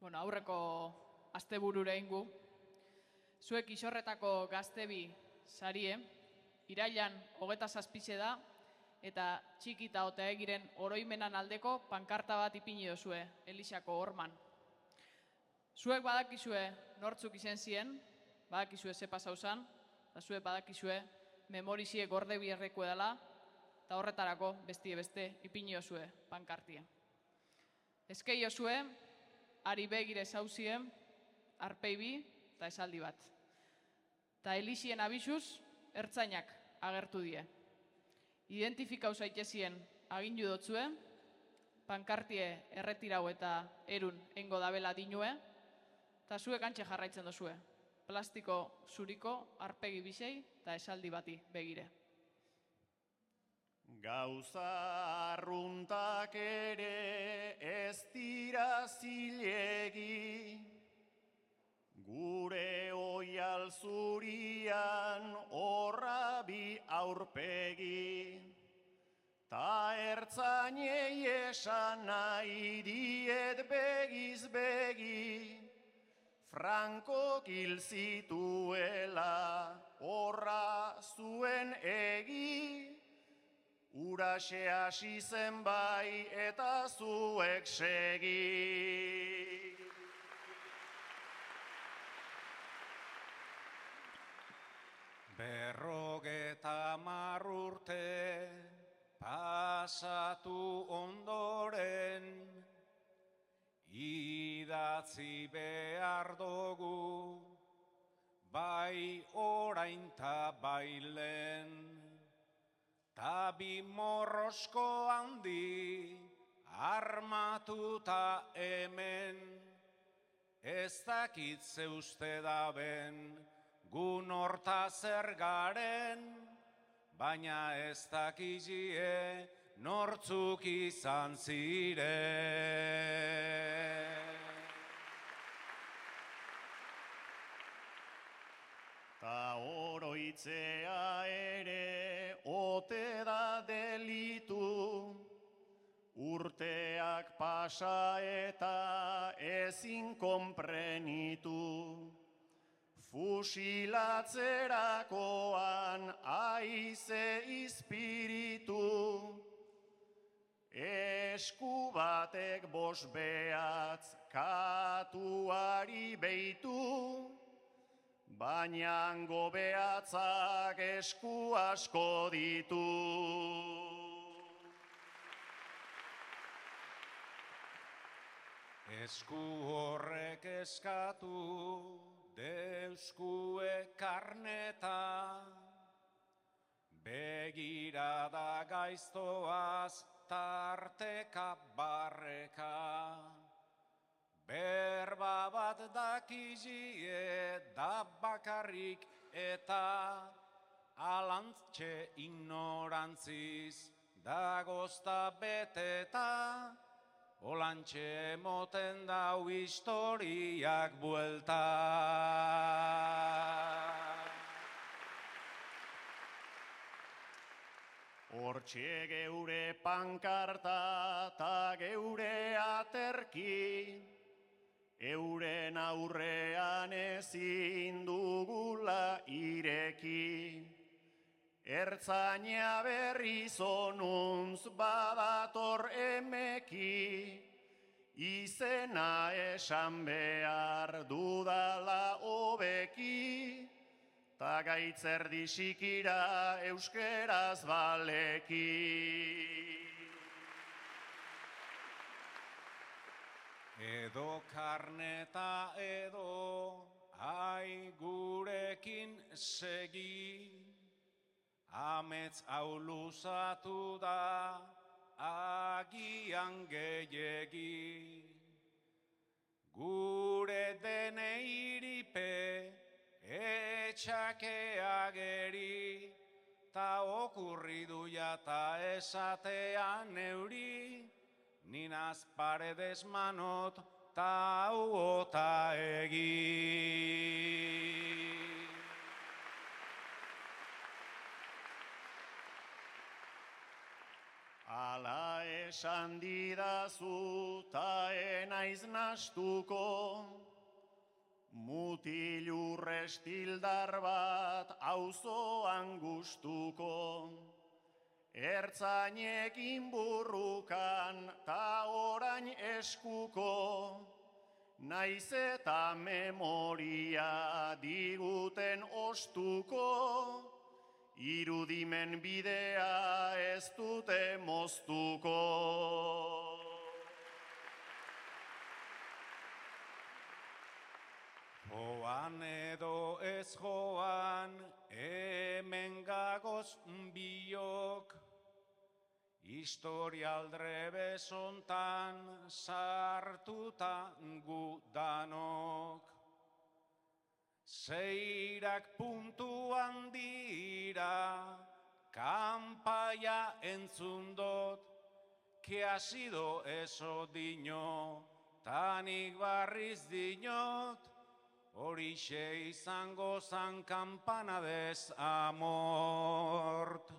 Aurreko asteburura ingu, zuek isorretako gaztebi sarie, irailan 27 da, eta txikita eta egiren oroimenan aldeko pankarta bat ipini dozue, Elixako horman. Zuek badakizue nortzuk izen ziren, badakizue ze pasau zan, eta zuek badakizue memorizie gorde bierreko edala, eta horretarako bestie beste ipini dozue pankartia. Eskei dozue, ari begire zauzien, arpeibi eta esaldi bat. Ta Elixien abizuz, ertzainak agertu die. Identifikau zaitezien agindu dotzue, pankartie erretirau eta erun engo dabela dinue, eta zuek antxe jarraitzen dozue. Plastiko zuriko, arpegi bisei eta esaldi bati begire. Gauza arruntak ere ez dira zilegi, gure oial zurian horra bi aurpegi, ta ertzainei esan nahi diet begiz begi, Frankok hil zituela horra zuen egi, Uraxe hasi zen bai eta zuek segi. Berrogeta urte pasatu ondoren, idatzi behar dugu, bai orain ta bailen. Ta bi morrosko handi armatuta hemen, ez dakit ze uste daben gun horta zer garen, baina ez dakizie nortzuk izan ziren. Ta oroitzea ere ote da delitu, urteak pasa eta ezin konprenitu. Fusilatzerakoan aize izpiritu, esku batek bost behatz katuari beitu, baina hango behatzak esku asko ditu. Esku horrek eskatu deuskue karneta, begirada gaiztoaz tarteka barreka. Berba bat dakizie da bakarrik eta alantxe ignorantziz dagozta beteta, olantxe moten dau historiak buelta. Hortxe geure pankarta ta geure aterki, euren aurrean ezin dugula ireki. Ertzaina berriz onuntz badator emeki, izena esan behar dudala hobeki, ta gaitzerdi xikira euskeraz baleki. Edo karneta edo ai gurekin segi, amets hau luzatu da agian gehiegi. Gure deneiripe etxakea geri, ta okurridu jata esatean neuri, Ninaz paredes manot ta uota egi. Ala esan didazu ta enaiz nastuko, mutilur estildar bat auzoan gustuko, ertzainekin burrukan ta orain eskuko, naiz eta memoria diguten ostuko, irudimen bidea ez dute moztuko. Joan edo ez joan, hemen gagoz biok, historialdre bezontan sartuta gu danok. Zeirak puntuan dira, kanpaia entzun dot, que ha sido eso dino, tanik barriz dinot, horixe izango zan kampana des amort.